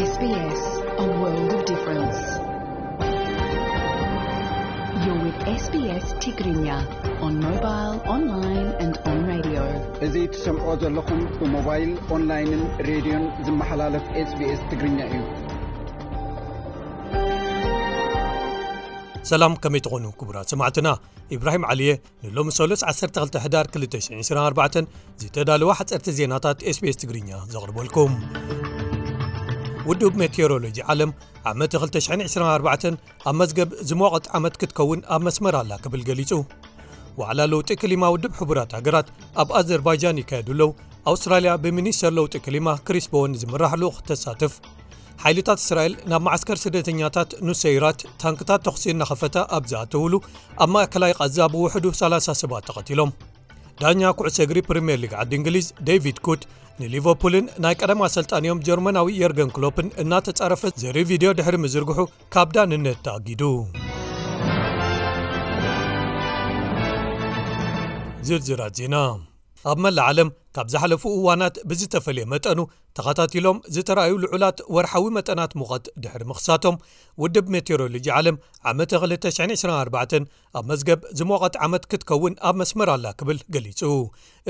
S B S, a world of difference. You're with S B S Tigrinya on mobile, online and on radio. እዚ ትሰምዖ ዘለኹም ብሞባይል፣ ኦንላይንን ሬድዮን ዝመሓላለፍ SBS ትግርኛ እዩ። ሰላም፣ ከመይ ትኾኑ ክቡራት ሰማዕትና? ኢብራሂም ዓሊየ ንሎሚ ሰሉስ ዓሰርተ ክልተ ሕዳር ክልተ ሽሕን ዕስራን ኣርባዕተን ዝተዳለዋ ሓፀርቲ ዜናታት SBS ትግርኛ ዘቕርበልኩም። ውድብ ሜቴዎሮሎጂ ዓለም ዓመት ክልተ ሽሕን ዕስራን ኣርባዕተን ኣብ መዝገብ ዝሞቐት ዓመት ክትከውን ኣብ መስመር ኣላ ክብል ገሊጹ። ዋዕላ ለውጢ ክሊማ ውድብ ሕቡራት ሃገራት ኣብ ኣዘርባይጃን ይካየዱ ኣለዉ። ኣውስትራልያ ብሚኒስተር ለውጢ ክሊማ ክሪስ ቦወን ዝምራሕ ልኡኽ ተሳትፍ። ሓይልታት እስራኤል ናብ መዓስከር ስደተኛታት ኑሰይራት ታንክታት ተኹሲ እናኸፈታ ኣብ ዝኣተውሉ፣ ኣብ ማእከላይ ቃዛ ብውሕዱ ሰላሳ ሰባት ተቐቲሎም። ዳኛ ኩዕሶ እግሪ ፕሪምየር ሊግ ዓዲ እንግሊዝ ዴቪድ ኩት ንሊቨርፑልን ናይ ቀደም ኣሰልጣኒኦም ጀርመናዊ የርገን ክሎፕን እናተጻረፈ ዘርኢ ቪድዮ ድሕሪ ምዝርግሑ ካብ ዳንነት ተኣጊዱ። ዝርዝራት ዜና። ኣብ መላእ ዓለም ካብ ዝሓለፉ እዋናት ብዝተፈልየ መጠኑ ተኸታቲሎም ዝተራእዩ ልዑላት ወርሓዊ መጠናት ሙቐት ድሕሪ ምኽሳቶም፣ ውድብ ሜቴዎሮሎጂ ዓለም ዓመተ ክልተ ሽሕን ዕስራን ኣርባዕተን ኣብ መዝገብ ዝሞቐት ዓመት ክትከውን ኣብ መስመር ኣላ ክብል ገሊጹ።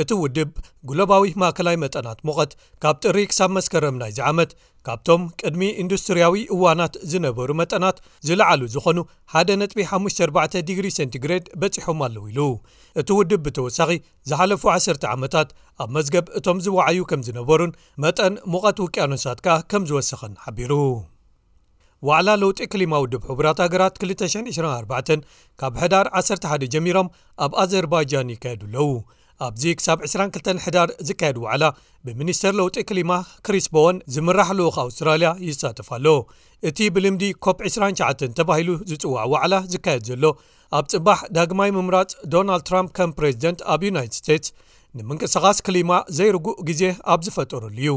እቲ ውድብ፣ ግሎባዊ ማእከላይ መጠናት ሙቐት ካብ ጥሪ ክሳብ መስከረም ናይዚ ዓመት፣ ካብቶም ቅድሚ ኢንዱስትርያዊ እዋናት ዝነበሩ መጠናት ዝለዓሉ ዝኾኑ ሓደ ነጥቢ ሓሙሽተ ኣርባዕተ ዲግሪ ሴንቲግሬድ በጺሖም ኣለዉ ኢሉ። እቲ ውድብ ብተወሳኺ፣ ዝሓለፉ ዓሰርተ ዓመታት ኣብ መዝገብ እቶም ዝወዓዩ ከም ዝነበሩን መጠን ሙቐት ውቅያኖሳት ከኣ ከም ዝወሰኸን ሓቢሩ። ዋዕላ ለውጢ ክሊማ ውድብ ሕቡራት ሃገራት ክልተ ሽሕን ዕስራን ኣርባዕተን ካብ ሕዳር ዓሰርተ ሓደ ጀሚሮም ኣብ ኣዘርባይጃን ይካየዱ ኣለዉ። ኣብዚ ክሳብ ዕስራን ክልተን ሕዳር ዝካየድ ዋዕላ፣ ብሚኒስተር ለውጢ ክሊማ ክሪስ ቦወን ዝምራሕ ልኡኽ ኣውስትራልያ ይሳተፍ ኣሎ። እቲ ብልምዲ ኮፕ ዕስራን ትሽዓተን ተባሂሉ ዝጽዋዕ ዋዕላ ዝካየድ ዘሎ፣ ኣብ ጽባሕ ዳግማይ ምምራጽ ዶናልድ ትራምፕ ከም ፕሬዚደንት ኣብ ዩናይትድ ስቴትስ ንምንቅስቓስ ክሊማ ዘይርጉእ ግዜ ኣብ ዝፈጠረሉ እዩ።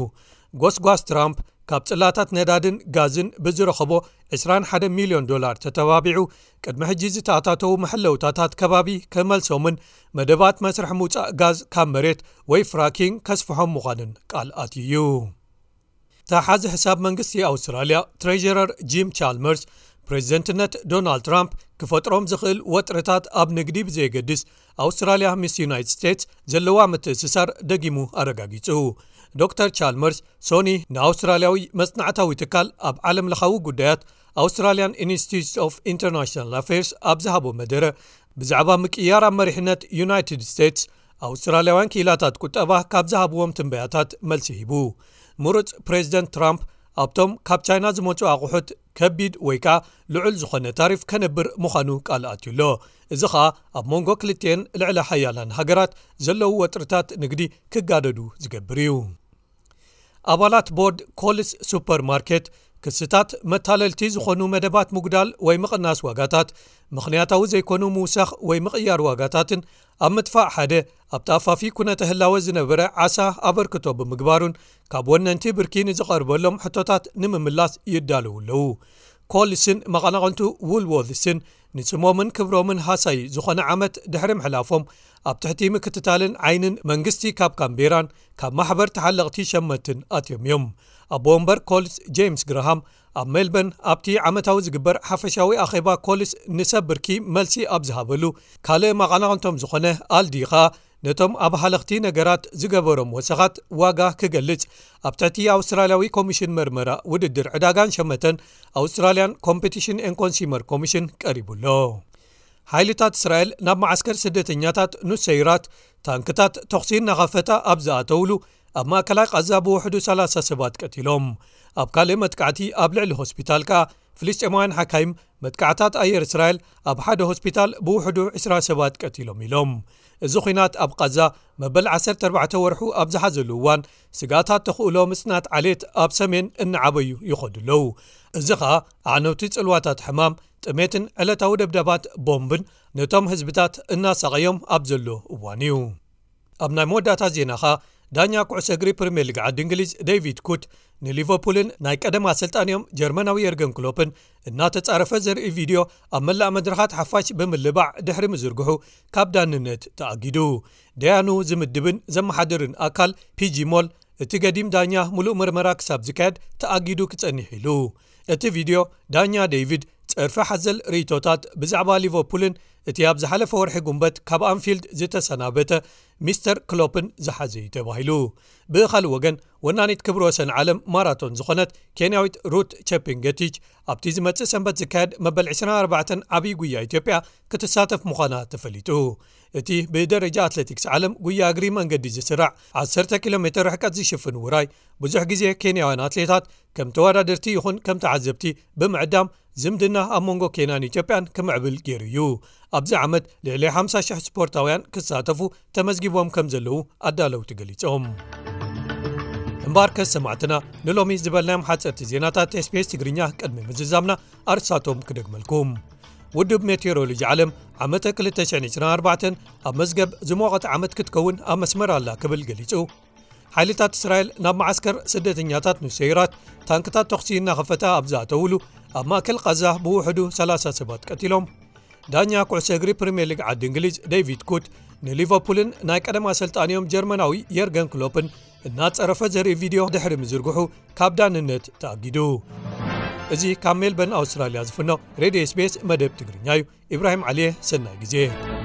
ጎስጓስ ትራምፕ ካብ ጽላታት ነዳድን ጋዝን ብዝረኸቦ ዕስራን ሓደን ሚልዮን ዶላር ተተባቢዑ፣ ቅድሚ ሕጂ ዝተኣታተዉ መሐለውታታት ከባቢ ክመልሶምን መደባት መስርሕ ምውጻእ ጋዝ ካብ መሬት ወይ ፍራኪንግ ከስፍሖም ምዃንን ቃል ኣትዩ እዩ። ተሓዚ ሕሳብ መንግስቲ ኣውስትራልያ ትሬዥረር ጂም ቻልመርስ፣ ፕሬዚደንትነት ዶናልድ ትራምፕ ክፈጥሮም ዝኽእል ወጥርታት ኣብ ንግዲ ብዘየገድስ፣ ኣውስትራልያ ምስ ዩናይትድ ስቴትስ ዘለዋ ምትእስሳር ደጊሙ ኣረጋጊጹ። ዶክተር ቻልመርስ ሶኒ ንኣውስትራልያዊ መጽናዕታዊ ትካል ኣብ ዓለም ለኻዊ ጉዳያት ኣውስትራልያን ኢንስቲትዩት ኦፍ ኢንተርናሽናል ኣፌርስ ኣብ ዝሃቦ መደረ፣ ብዛዕባ ምቅያር ኣብ መሪሕነት ዩናይትድ ስቴትስ ኣውስትራልያውያን ክኢላታት ቁጠባ ካብ ዝሃብዎም ትንበያታት መልሲ ሂቡ። ምሩጽ ፕሬዚደንት ትራምፕ ኣብቶም ካብ ቻይና ዝመጹ ኣቑሑት ከቢድ ወይ ከኣ ልዑል ዝኾነ ታሪፍ ከነብር ምዃኑ ቃል ኣትዩ ኣሎ። እዚ ኸኣ ኣብ መንጎ ክልቲኤን ልዕለ ሓያላን ሃገራት ዘለዉ ወጥርታት ንግዲ ክጋደዱ ዝገብር እዩ። ኣባላት ቦርድ ኮልስ ሱፐር ማርኬት፣ ክስታት መታለልቲ ዝኾኑ መደባት ምጉዳል ወይ ምቕናስ ዋጋታት፣ ምኽንያታዊ ዘይኮኑ ምውሳኽ ወይ ምቕያር ዋጋታትን ኣብ ምጥፋእ ሓደ ኣብቲ ኣፋፊ ኩነተ ህላወ ዝነበረ ዓሳ ኣበርክቶ ብምግባሩን፣ ካብ ወነንቲ ብርኪ ንዝቐርበሎም ሕቶታት ንምምላስ ይዳለዉ ኣለዉ። ኮልስን መቐናቕንቱ ውልዎልስን ንስሞምን ክብሮምን ሃሳዪ ዝኾነ ዓመት ድሕሪ ምሕላፎም፣ ኣብ ትሕቲ ምክትታልን ዓይንን መንግስቲ ካብ ካምቤራን ካብ ማሕበር ተሓለቕቲ ሸመትን ኣትዮም እዮም። ኣቦ ወንበር ኮልስ ጄምስ ግራሃም ኣብ ሜልበርን ኣብቲ ዓመታዊ ዝግበር ሓፈሻዊ ኣኼባ ኮልስ ንሰብ ብርኪ መልሲ ኣብ ዝሃበሉ፣ ካልእ መቐናቕንቶም ዝኾነ ኣልዲ ኸኣ ነቶም ኣብ ሃለኽቲ ነገራት ዝገበሮም ወሰኻት ዋጋ ክገልጽ ኣብ ትሕቲ ኣውስትራልያዊ ኮሚሽን መርመራ ውድድር ዕዳጋን ሸመተን፣ ኣውስትራልያን ኮምፒቲሽን ኤን ኮንሱመር ኮሚሽን ቀሪቡ ኣሎ። ሓይልታት እስራኤል ናብ መዓስከር ስደተኛታት ኑሰይራት ታንክታት ተኹሲ እናኸፈታ ኣብ ዝኣተውሉ፣ ኣብ ማእከላይ ቃዛ ብውሕዱ ሰላሳ ሰባት ቀቲሎም። ኣብ ካልእ መጥቃዕቲ ኣብ ልዕሊ ሆስፒታል ከኣ ፍልስጤማውያን ሓካይም መጥቃዕታት ኣየር እስራኤል ኣብ ሓደ ሆስፒታል ብውሕዱ ዕስራ ሰባት ቀቲሎም ኢሎም። እዚ ኲናት ኣብ ቃዛ መበል ዓሰርተ ኣርባዕተ ወርሑ ኣብ ዝሓዘሉ እዋን፣ ስግኣታት ተኽእሎ ምጽናት ዓሌት ኣብ ሰሜን እናዓበዩ ይኸዱ ኣለዉ። እዚ ኸኣ ኣዕነውቲ ጽልዋታት ሕማም፣ ጥሜትን ዕለታዊ ደብዳባት ቦምብን ነቶም ህዝብታት እናሳቐዮም ኣብ ዘሎ እዋን እዩ። ኣብ ናይ መወዳእታ ዜናኻ፣ ዳኛ ኩዕሶ እግሪ ፕሪምየር ሊግ ዓዲ እንግሊዝ ዴቪድ ኩት ንሊቨርፑልን ናይ ቀደም ኣሰልጣኒኦም ጀርመናዊ የርገን ክሎፕን እናተጻረፈ ዘርኢ ቪድዮ ኣብ መላእ መድረኻት ሓፋሽ ብምልባዕ ድሕሪ ምዝርግሑ ካብ ዳንነት ተኣጊዱ። ደያኑ ዝምድብን ዘመሓድርን ኣካል ፒጂ ሞል እቲ ገዲም ዳኛ ሙሉእ ምርመራ ክሳብ ዝካየድ ተኣጊዱ ክጸኒሕ ኢሉ። እቲ ቪድዮ ዳኛ ዴቪድ ጸርፊ ሓዘል ርእይቶታት ብዛዕባ ሊቨርፑልን እቲ ኣብ ዝሓለፈ ወርሒ ጉንበት ካብ ኣንፊልድ ዝተሰናበተ ሚስተር ክሎፕን ዝሓዘ እዩ ተባሂሉ። ብኻልእ ወገን፣ ወናኒት ክብረ ወሰን ዓለም ማራቶን ዝኾነት ኬንያዊት ሩት ቸፒንገቲች ኣብቲ ዝመጽእ ሰንበት ዝካየድ መበል ዕስራን ኣርባዕተን ዓብዪ ጉያ ኢትዮጵያ ክትሳተፍ ምዃና ተፈሊጡ። እቲ ብደረጃ ኣትሌቲክስ ዓለም ጉያ እግሪ መንገዲ ዝስራዕ ዓሰርተ ኪሎ ሜትር ርሕቀት ዝሽፍን ውራይ፣ ብዙሕ ግዜ ኬንያውያን ኣትሌታት ከም ተወዳደርቲ ይኹን ከም ተዓዘብቲ ብምዕዳም ዝምድና ኣብ መንጎ ኬንያን ኢትዮጵያን ክምዕብል ገይሩ እዩ። ኣብዚ ዓመት ልዕሊ ሓምሳ ሽሕ ስፖርታውያን ክሳተፉ ተመዝጊቦም ከም ዘለዉ ኣዳለውቲ ገሊጾም። እምበኣርከስ ሰማዕትና፣ ንሎሚ ዝበልናዮም ሓጸርቲ ዜናታት ኤስቢኤስ ትግርኛ ቅድሚ ምዝዛምና ኣርሳቶም ክደግመልኩም። ውድብ ሜቴሮሎጂ ዓለም ዓመተ ክልተ ሽሕን ዕስራን ኣርባዕተን ኣብ መዝገብ ዝሞቐት ዓመት ክትከውን ኣብ መስመር ኣላ ክብል ገሊጹ። ሓይልታት እስራኤል ናብ መዓስከር ስደተኛታት ኑሰይራት ታንክታት ተኹሲ እናኸፈታ ኣብ ዝኣተውሉ፣ ኣብ ማእከል ቃዛ ብውሕዱ ሰላሳ ሰባት ቀቲሎም። ዳኛ ኩዕሶ እግሪ ፕሪምየር ሊግ ዓዲ እንግሊዝ ዴቪድ ኩት ንሊቨርፑልን ናይ ቀደም ኣሰልጣኒኦም ጀርመናዊ የርገን ክሎፕን እናጸረፈ ዘርኢ ቪድዮ ድሕሪ ምዝርግሑ ካብ ዳንነት ተኣጊዱ። እዚ ካብ ሜልበርን ኣውስትራልያ ዝፍኖ ሬድዮ ኤስቢኤስ መደብ ትግርኛ እዩ። ኢብራሂም ዓሊየ፣ ሰናይ ግዜ።